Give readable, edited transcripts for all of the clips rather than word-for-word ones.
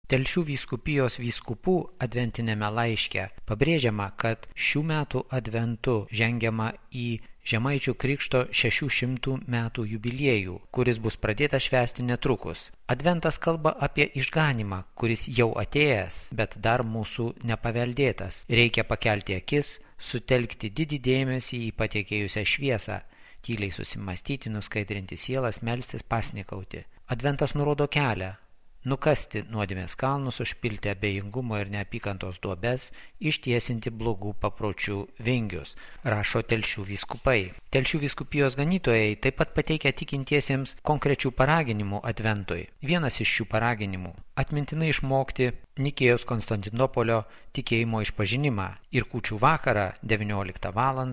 Telšių vyskupijos vyskupų adventinėme laiške pabrėžiama, kad šių metų adventu žengiama į Žemaičių Krikšto 600 metų jubiliejų, kuris bus pradėtas švęsti netrukus. Adventas kalba apie išganymą, kuris jau atėjęs, bet dar mūsų nepaveldėtas. Reikia pakelti akis, sutelkti didį dėmesį į patekėjusią šviesą, tyliai susimastyti, nuskaidrinti sielas, melstis, pasnikauti. Adventas nurodo kelią. Nukasti nuodėmės kalnus, užpilti abejingumo ir neapykantos duobes, ištiesinti blogų papročių vingius, rašo Telšių vyskupai. Telšių vyskupijos ganytojai taip pat pateikia tikintiesiems konkrečių paraginimų adventui. Vienas iš šių paraginimų – atmintinai išmokti Nikėjos Konstantinopolio tikėjimo išpažinimą ir kūčių vakarą 19 val.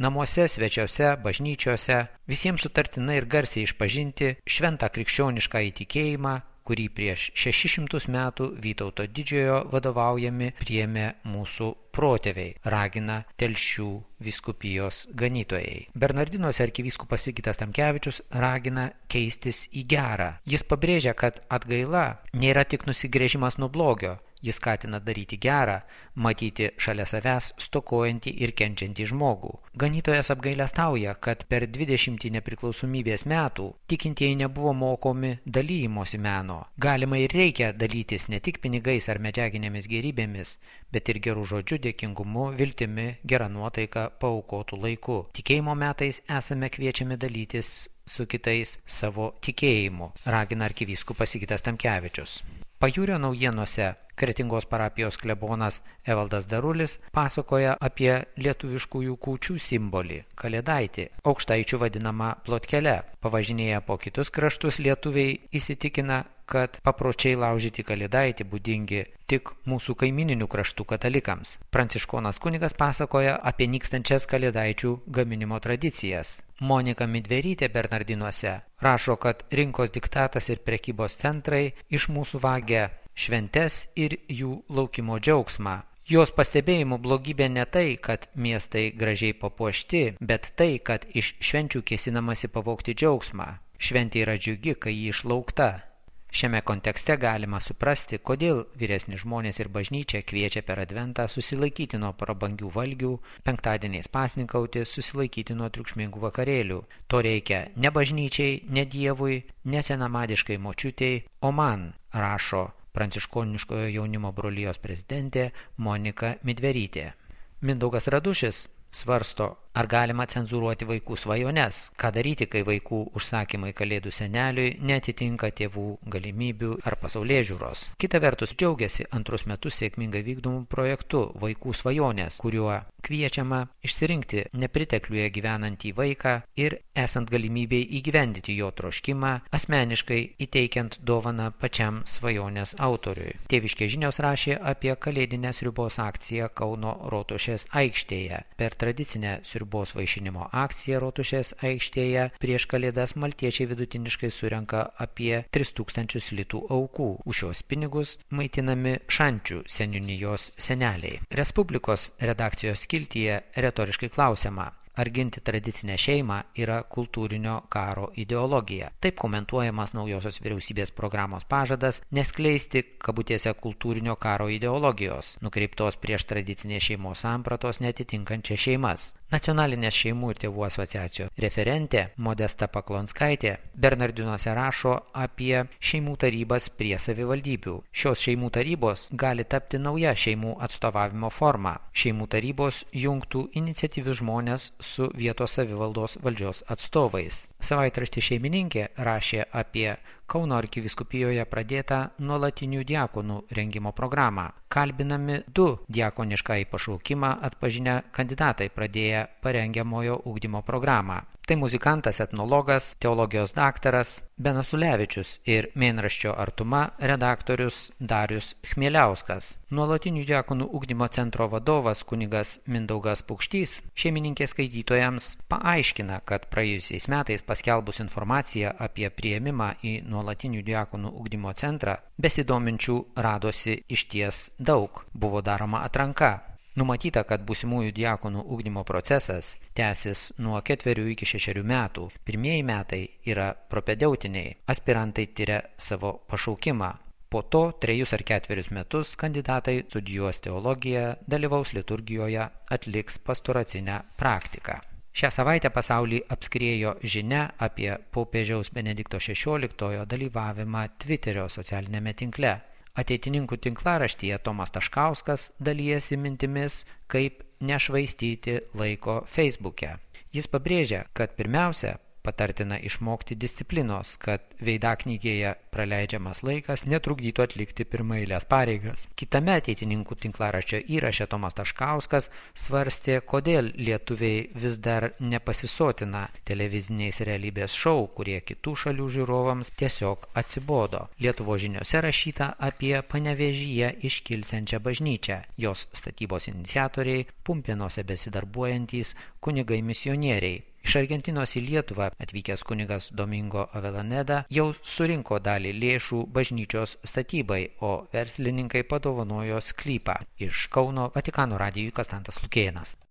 Namuose, svečiuose, bažnyčiose visiems sutartinai ir garsiai išpažinti šventą krikščionišką įtikėjimą, kurį prieš 600 metų Vytauto Didžiojo vadovaujami priėmė mūsų protėviai, ragina Telšių vyskupijos ganytojai. Bernardinuose arkivyskupas Sigitas Tamkevičius ragina keistis į gerą. Jis pabrėžia, kad atgaila nėra tik nusigręžimas nuo blogio. Jis skatina daryti gerą, matyti šalia savęs stokojantį ir kenčiantį žmogų. Ganytojas apgailestauja, kad per 20 nepriklausomybės metų tikintieji nebuvo mokomi dalymosi meno. Galima ir reikia dalytis ne tik pinigais ar medžiaginėmis gėrybėmis, bet ir gerų žodžių, dėkingumu, viltimi, gera nuotaika, paaukotų laiku. Tikėjimo metais esame kviečiami dalytis su kitais savo tikėjimu, ragina arkivyskupas Sigitas Tamkevičius. Pajūrio naujienose Kretingos parapijos klebonas Evaldas Darulis pasakoja apie lietuviškųjų kūčių simbolį – kalėdaitį, aukštaičių vadinamą plotkele. Pavažinėję po kitus kraštus lietuviai įsitikina, kad papročiai laužyti kalėdaitį būdingi tik mūsų kaimininių kraštų katalikams. Pranciškonas kunigas pasakoja apie nykstančias kalėdaičių gaminimo tradicijas. Monika Midverytė Bernardinuose rašo, kad rinkos diktatas ir prekybos centrai iš mūsų vagia šventes ir jų laukimo džiaugsmą. Jos pastebėjimų blogybė ne tai, kad miestai gražiai papuošti, bet tai, kad iš švenčių kėsinamasi pavogti džiaugsmą. Šventė yra džiugi, kai ji išlaukta. Šiame kontekste galima suprasti, kodėl vyresni žmonės ir bažnyčia kviečia per adventą susilaikyti nuo prabangių valgių, penktadieniais pasninkauti, susilaikyti nuo triukšmingų vakarėlių. To reikia ne bažnyčiai, ne Dievui, ne senamadiškai močiutei, o man, rašo Pranciškoniškojo jaunimo brolijos prezidentė Monika Midverytė. Mindaugas Radušis svarsto, ar galima cenzūruoti vaikų svajones, ką daryti, kai vaikų užsakymai kalėdų seneliui neatitinka tėvų galimybių ar pasaulėžiūros. Kita vertus džiaugiasi antrus metus sėkmingai vykdomų projektu Vaikų svajonės, kuriuo kviečiama išsirinkti nepritekliuje gyvenantį vaiką ir esant galimybei įgyvendyti jo troškimą, asmeniškai įteikiant dovaną pačiam svajonės autoriui. Tėviškės žinios rašė apie kalėdinę sriubos akciją Kauno Rotušės aikštėje. Per tradicinę sriubos vaišinimo akciją Rotušės aikštėje prieš kalėdas maltiečiai vidutiniškai surenka apie 3000 litų aukų. Už šios pinigus maitinami Šančių seniūnijos seneliai. Respublikos redakcijos skiltyje retoriškai klausiama, ar ginti tradicinę šeimą yra kultūrinio karo ideologija. Taip komentuojamas naujosios vyriausybės programos pažadas neskleisti kabutėse kultūrinio karo ideologijos, nukreiptos prieš tradicinės šeimos sampratos neatitinkančias šeimas. Nacionalinės šeimų ir tėvų asociacijos referentė Modesta Paklonskaitė Bernardinuose rašo apie šeimų tarybas prie savivaldybių. Šios šeimų tarybos gali tapti nauja šeimų atstovavimo forma. Šeimų tarybos jungtų iniciatyvius žmonės su vietos savivaldos valdžios atstovais. Savaitraštis Šeimininkė rašė apie Kauno arkivyskupijoje pradėtą nuolatinių diakonų rengimo programą. Kalbinami 2 diakoniškąjį pašaukimą atpažinę kandidatai pradėję parengiamojo ugdymo programą. Tai muzikantas, etnologas, teologijos daktaras Benas Ulevičius ir mėnraščio Artuma redaktorius Darius Chmieliauskas. Nuolatinių diakonų ugdymo centro vadovas kunigas Mindaugas Pukštys Šeimininkės skaitytojams paaiškina, kad praėjusiais metais paskelbus informaciją apie priėmimą į nuolatinių diakonų ugdymo centrą, besidominčių radosi išties daug. Buvo daroma atranka. Numatyta, kad būsimųjų diakonų ugdymo procesas tęsis nuo 4 iki 6 metų. Pirmieji metai yra propedeutiniai. Aspirantai tyria savo pašaukimą. Po to 3 ar 4 metus kandidatai studijuos teologiją, dalyvaus liturgijoje, atliks pastoracinę praktiką. Šią savaitę pasaulį apskriejo žinia apie popiežiaus Benedikto XVI dalyvavimą Twitterio socialinėme tinkle. Ateitininkų tinklaraštyje Tomas Taškauskas dalijasi mintimis, kaip nešvaistyti laiko Facebook'e. Jis pabrėžia, kad pirmiausia, patartina išmokti disciplinos, kad veidaknygėje praleidžiamas laikas netrukdytų atlikti pirmaeilės pareigas. Kitame ateitininkų tinklaraščio įraše Tomas Taškauskas svarstė, kodėl lietuviai vis dar nepasisotina televiziniais realybės šou, kurie kitų šalių žiūrovams tiesiog atsibodo. Lietuvos žiniose rašyta apie Panevėžyje iškilsiančią bažnyčią. Jos statybos iniciatoriai Pumpėnuose besidarbuojantys kunigai misionieriai. Iš Argentinos į Lietuvą atvykęs kunigas Domingo Avelaneda jau surinko dalį lėšų bažnyčios statybai, o verslininkai padovanojo sklypą. Iš Kauno Vatikano radijui Konstantas Lukėnas.